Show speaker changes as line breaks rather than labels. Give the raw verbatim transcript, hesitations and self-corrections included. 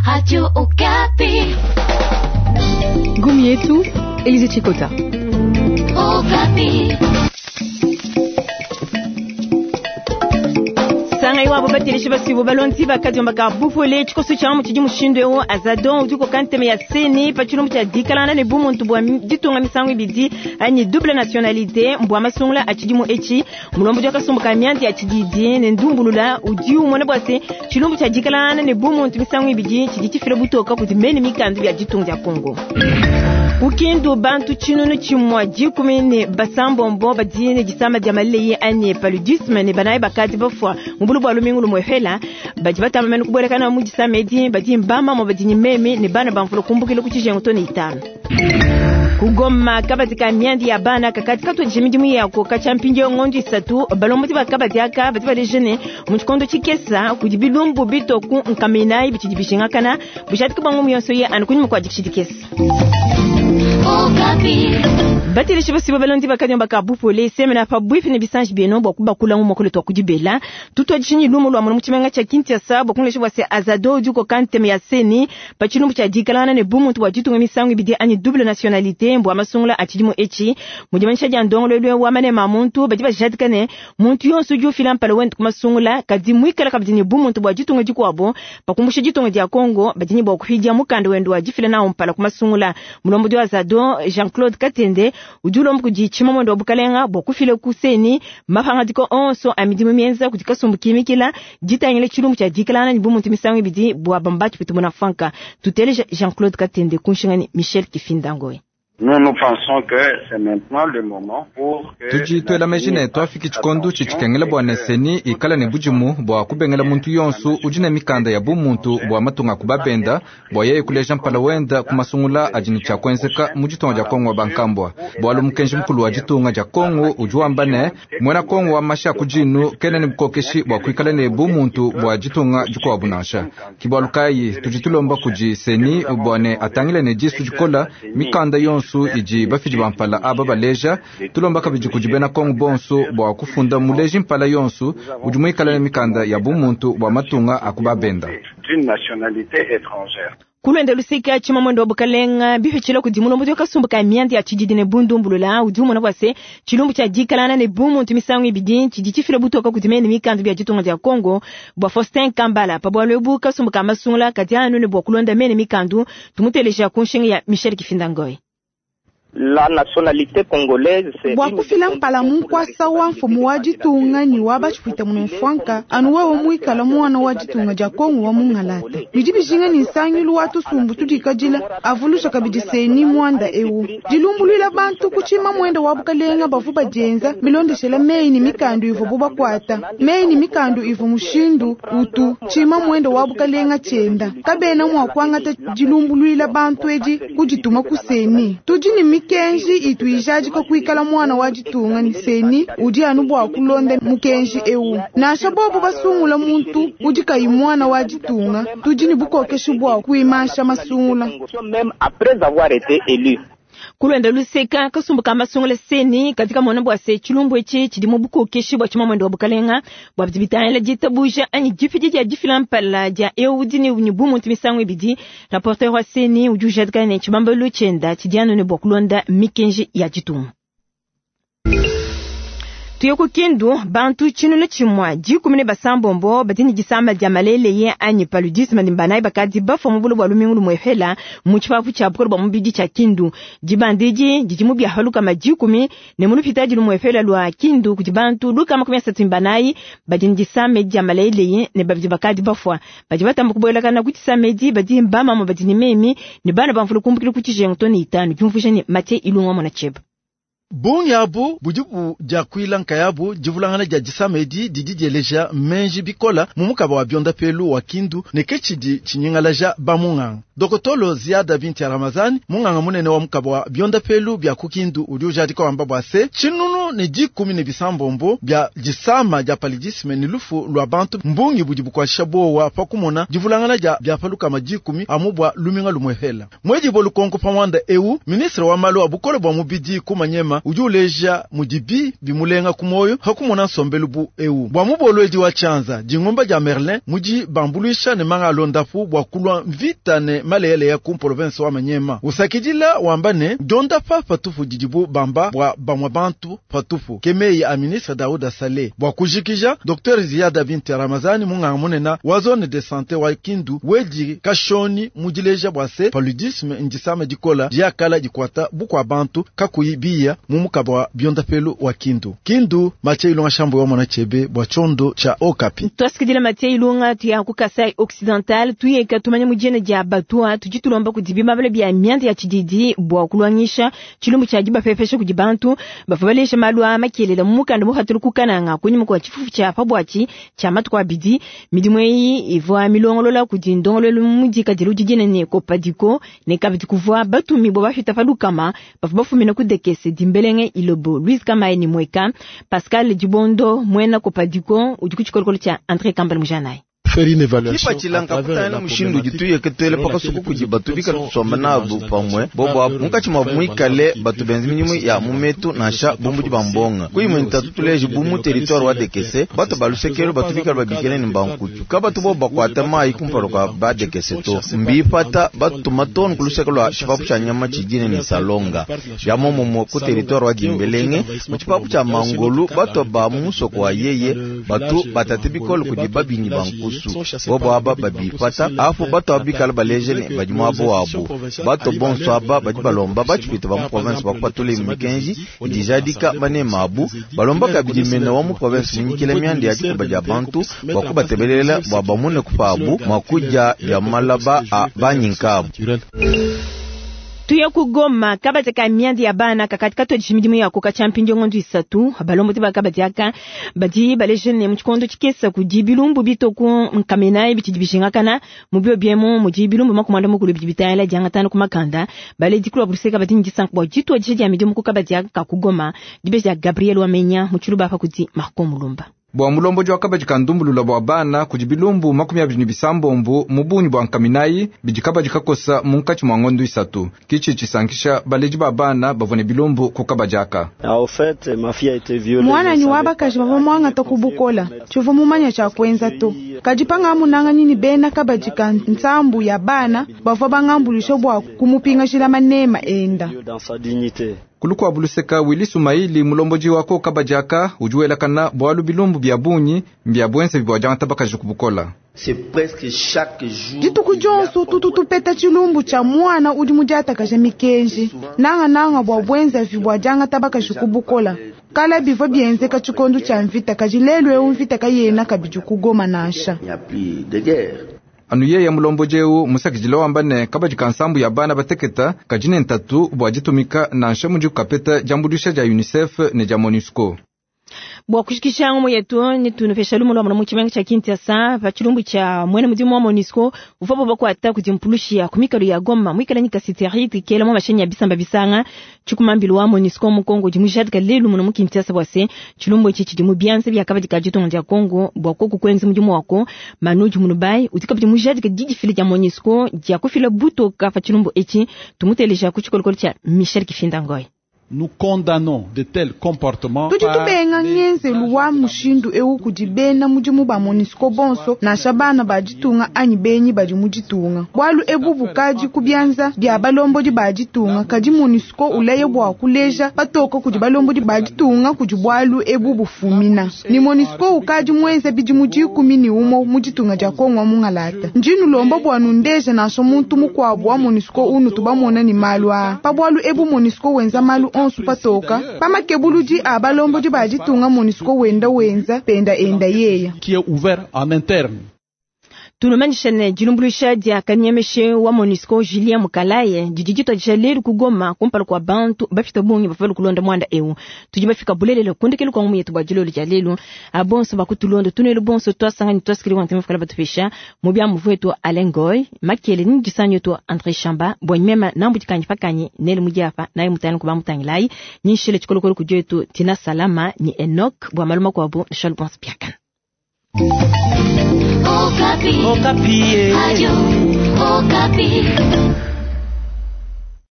Radio Okapi.
Gumi yetu Elize Chikota.
Okapi.
Sanga iwabo bateleshi basibo balonzi bakadiomba ka bupole tshikoso tshia mu tshidi mushindu eu azadon udi koka nteme ya seni pa tshilumbu tshia dikalana ne bumuntu bua ditunga misangu ibidi anyi double nationalité mbua masungula a tshidimu etshi mulombo dia kasumbu ka mianzi ya tshididi ne ndumbulula udi umona bua se tshilumbu tshia dikalana ne bumuntu misangu ibidi tshidi tshifila butoka kudi mene mikandu ya ditunga dia Kongo. Kukindu bantu tshinunu tshimua dikumi ne basambombo badi ne disama dia maleye anyi paludisme ne banayi bakadi bafua mu bulu bua lumingu lumwefela badi batamba mene kubolekana mu disama edi badi mbamamo badi ne meme ne bana bamvula kumbukila ku tshijengu to ne itanu. Kugoma kabadi ka miandi ya bana kakati katuadije midimu yako katshia mpindieu ngondo isatu balombodi ba kabadi aka badi baleja ne mu tshikondo tshikesa kudi bilumbu bitoku nkaminayi bitshidi bijingakana bujadiki bua ngumu yonso ye anu kunyima kua dikisha dikesa. Bateleshi basibo balondi bakadiomba ka bupole semena pa bwipi ne bisanji bieno bua kubakula mu mokolo twa kudibela tutuadishinyi lumu lua mu tshimenga tshia Kinshasa bua kunlesha bua se azado udi koka nteme ya seni pa tshilumbu tshia dikalana ne bumuntu bua ditunga misangu ibidi anyi double nationalité mbua masungula a tshidimu etshi mu dimanyisha dia ndongoluelu wa manema a muntu badi bajadika ne muntu yonso udi ufila mpala wende ku masungula kadi muikala kabidi ne bumuntu bua ditunga dikuabo pa kumbusha ditunga dia Kongo badi ne bua kuhidia mukanda wende wa difila nawo mpala ku masungula mulombodi wa azado Jean-Claude Katende udi ulomba kudi tshimamwendo wa bukalenga bua kufila ku seni mapangadiko onso a midimu mienza kudi kasumbu kimikila ditangila tshilumbu tshia dikalana ne bumuntu misangu ibidi bua bamba tshipita muna franka tuteleja Jean-Claude Katende kunshingani Michel Kifindangoe.
Nous, nous pensons que c'est maintenant le moment pour que
tudi tuela meji ne twafiki tshikondo tshitshikengela bua ne seni ikala ne budimu bua kubengela muntu yonso udi ne mikanda ya bumuntu bua matunga kubabenda bua yeye kuleja mpala wenda ku masungula adi ne tshiakuenzeka mu ditunga dia Kongo wa bankambua bualu mukenji mukulu wa ditunga dia Kongo udi wamba ne muena Kongo wa mashi a ku dinu kena ne bukokeshi bua kuikala ne bumuntu bua ditunga dikuabu nansha kibualu kayi tudi tulomba kudi seni bua ne atangile ne disu dikola mikanda yonso idi bafidi ba mpala aba baleja tulomba kabidi kudi bena Kongo bonso bua kufunda muleji mpala yonso udi muikala ne mikanda ya bumuntu bua matunga akubabenda
d'une nationalité étrangère.
Kulwenda lusika tshimamwendo wa bukalenga bipitshila kudi mulombodi wa kasumbu ka mianda ya tshididi ne bundumbulula udi umona bua se tshilumbu tshia dikalana ne bumuntu misangu ibidi tshidi tshifila butoka kudi mene mikandu bia ditunga dia Kongo bua Faustin Kambala pa bualu ebu kasumbu ka masungula kadi anu ne bua kulonda mene mikandu tumuteleja ku nshinga ya Michel Kifindangoy.
La nationalité congolaise
bua kufila mpala munkwasa wa mfumu wa ditunga ni wa batshipwita muno mfwanka anu wewe muikala muwana wa ditunga dia Kongo wa mungalata bidi bijinga ni nsangilu wa tusumbu tudikadila avulusha kabidi seni mwanda ewu dilumbuluila bantu kutshima mwenda wa bukalenga bavu badienza milondeshela meyi ni mikandu ivu bubakwata meyi ni mikandu ivu mushindu utu tshima mwenda wa bukalenga tshienda kabena mua kuangata dilumbuluila bantu edi kudituma kuseni tudi ni mikenji itu ijadika kuikala mwana wa ditunga ni seni udi anu bua kulonda mukenji ewu nansha bobo basungula muntu udi kayi mwana wa ditunga tudi ni bukokeshi bua kuimansha masungula
même après avoir été élu.
Kulwenda luseka kasumbu ka masungula seni katika mona bua se tshilumbu etshi tshidi mu bukokeshi bua tshimamwendo wa bukalenga bua bidi bitangila ditabuja anyi difidi dia difila mpala dia eu udi ne ne bumuntu misangu ibidi rapporteur wa seni udi ujadika ne tshibambalu tshienda tshidi anu ne bua kulonda mikenji ya ditunga. Tuye ku Kindu bantu tshinunu tshimua dikumi ne basambombo badi ne disama dia maleleye anyi paludisme ne banayi bakadi bafua mu bulu bua lumingu lumuefela mu tshipapu tshia bukole bua mubidi tshia Kindu dibandidi didi mu bia lukama dikumi ne mu lupitadi lumuefela lua Kindu kudi bantu lukama makumi asatu ne banayi badi ne disama dia maleleye ne babidi bakadi bafua badi batamba kubuelakana ku disama edi badi mbamama badi ne memi ne bana bamvula kumbukila ku tshijengu to ne itanu diumvuija ne Mathieu Ilunga mwana tsheba.
Bungi abu budi budiakuila nkayabu divulangana dia disama edi didi dieleja menji bikola mu mukaba wa biondapelu wa Kindu ne ke tshidi tshinyingalaja bamunganga. Dokotolo Ziada Binti ya Ramazani munganga munene wa mukaba wa biondapelu bia ku Kindu udi ujadika wamba bua se tshinunu Bitanu ne dikumi ne bisambombo bia disama dia paludisme ne lufu lwa bantu mbungi budi bukwasha bowa pa kumona divulangana dia bia palukama dikumi amu bwa luminga lumwehela. Mwedi bolukonko pamwanda eu ministre wa malu a bukole bwa mubidi kumanyema udi uleja mudibi bimulenga kumoyo hakumona nsombelu bu eu bwa mubolwedi wa chanza dingomba dia Merlin mudi bambuluisha ne manga alondapu bwa kulwa mvita ne maleyele ya ku province wa Manyema usakidila wamba ne donda pa patupu didibu bamba bwa bamwa bantu patupu kemeyi a ministre Daouda Saleh bwa kujikija Docteur Ziada Binti Ramazani munganga munena wa zone de santé wa Kindu wedi kashoni mudileja bwa se paludisme ndisama dikola diakala dikwata bukwa bantu kakuyi mumukaba wa biondapelu wa Kindu. Kindu Mathieu Ilunga shambo wa mwana chebe bwa chondo cha Okapi.
Twasikidila Mathieu Ilunga tuya ku Kasai Occidental tuyeka tumanya mujene dia batua tujitulomba kudibima bale bia mianda ya chididi bwa kulwangisha chilumbu cha diba fefesha kudi bantu bafabalesha malwa makelela mukanda muhatulu kukananga kunyuma kwa chifufu cha pabwachi cha matu kwa bidi midimu eyi ivwa milongolola kudi ndongololo mudika dilu didine ne kopadiko ne kabidi kuvwa batumi bo bafita palukama bafu bafumina kudekese dimbelenge ilobo Louise Kamaye ni mweka Pascal Dibondo mwena kopadiko udi kuchikolokolo cha André Kambal Mujanai.
Kipachilanga kutana mushindu jituye ketwele paka suku kujiba tubika tusomba nabu pamwe bobo apu mukachi mwa mwikale batu benzi minyimu ya mumetu nasha bumbuji bambonga kuyi ntatu tuleji bumu territoire wa dekese batu balusekelo batu bikala babikele ni mbankutu kabatu bo bakwata mayi kumpalo kwa ba dekese to mbipata batu matonu kulusekelo wa chipapu cha nyama chijine ni salonga ya momomo ku territoire wa dimbelenge mu chipapu cha mangolu batu ba musoko wa yeye batu batate bikolo kudiba binyi bankusu bobo aba babipata afu bato abikala balejele badi mwabo wabo bato bonso aba badi balomba bachipita ba mu province bakupatula imikenji idijadika banema abu balomba kabidi mene wa mu province munyikile myanda ya dikuba dia bantu bakubatebelela bwa bamune kupabu mwakuja bya malaba a banyinkabu.
Tuya kugoma kabati ka miandi ya bana kakatika to jimidimu ya kuka champinjo ngondu isatu balombo te bakabati aka badi balejene mu chikondo chikesa kujibilumbu bitoku nkamena biti dibishinga kana mubyo biemo mujibilumbu makumanda mukulu bitayala janga tano kumakanda bale dikulu abuseka badi njisanka bo jitwa jiji ya midimu kukabati aka kugoma dibeja Gabriel Wamenya muchiluba fa kuti Marco Mulumba.
Bwa mulomboji wa kabadi kandumbulula bwa bana kujibilumbu makumi abiri ni bisambombu mubunyi bwa nkaminayi bidi kabadi kakosa munkachi mwa ngondo isatu kichi chisankisha baleji ba bana bavone bilumbu ku kabadi aka.
Mwana ni wabakaji bava mwanga tokubukola chivo mumanya cha kwenza to kajipanga amunanga nini bena kabadi ka nsambu ya bana bava bangambulisho bwa kumupinga jila manema enda.
Kulukwa buluseka Willy Sumaili mulomboji wako kabajaka ujuelakana bwalu bilumbu bya bunyi mbya bwense bibwa janga tabakaji kubukola.
Dituku jonso tututupeta chilumbu cha mwana udi mudiatakaja mikenji nanga nanga bwa bwenza vibwa janga tabakaji kubukola kala bivwa byenzeka chikondo cha mvita kaji lelo eu mvita kayena kabidi kugoma nasha.
Anu yeya mulomboji musakijila wamba ne kabadi kansambu ya bana bateketa kajine ntatu bwa jitumika nansha muji kukapeta jambulisha ja UNICEF ne ja MONUSCO.
Bwa kushikisha ngomo yetu ni tunufesha lumo lwa mu chimenga cha Kinshasa pa chilumbu cha mwene mudimu wa MONUSCO uvapo bakwata kujimpulushia kumikalo ya Goma mwikala nyika siteri tikela mu mashenya bisamba bisanga chikumambilo wa MONUSCO mu Kongo jimujadika lelu muno mu Kinshasa bwase chilumbu ichi chidi mu byanze bya kabadi ka jitongo ja Kongo bwa koko kwenzi mudimu wako manuji munubai utikabidi mujadika didifile ja MONUSCO ja kufila buto ka fa chilumbu ichi tumuteleja ku chikolokolo cha Michel Kifinda Ngoy.
Nous condamnons de tels comportements.
Tudi tubenga ngenzelu wa mushindu eu kudi bena mudimu ba MONUSCO bonso nasha bana baditunga anyi benyi badi muditunga bwalu ebu bukadi kubyanza bya balombodi baditunga kadi MONUSCO ulaye bwa kuleja patoka kudi balombodi baditunga kudi bwalu ebu bufumina ni MONUSCO ukadi mwenza bidi mudikumi ni umo muditunga dia Kongo mungalata njinu lomba bwanu ndeja nasha muntu mukwabu wa MONUSCO unu tubamona ni malu a pa bwalu ebu MONUSCO wenza malu onsu patoka pamakebuludi abalombodi baditunga MONUSCO wenda wenza penda enda yeya
qui est ouvert en interne.
Tunumanyisha ne dilumbuluisha dia kanyemeshe wa MONUSCO Julien Mukalaye didi dituadija lelu ku Goma kumpala kua bantu bafita bungi bafika kulonda mwanda eu. Tudi bafika bulelela kundekelu kwa ngumu yetu bua dilolo dia lelu. Abonso bakutulonda tunelu bonso twasangani twasikili wa ntema fukala batufisha mu bia muvu wetu Alain Goy makele ni disanyo yetu André Chamba bwa mema nambu dikanyi pakanyi nele mudiapa naye mutani kuba mutangilayi nyinshile chikolokolo kujetu Tina Salama ni Enoch bwa maluma kwa bo Charles Bons Piakan.
Okapi. Okapi. Radio Okapi.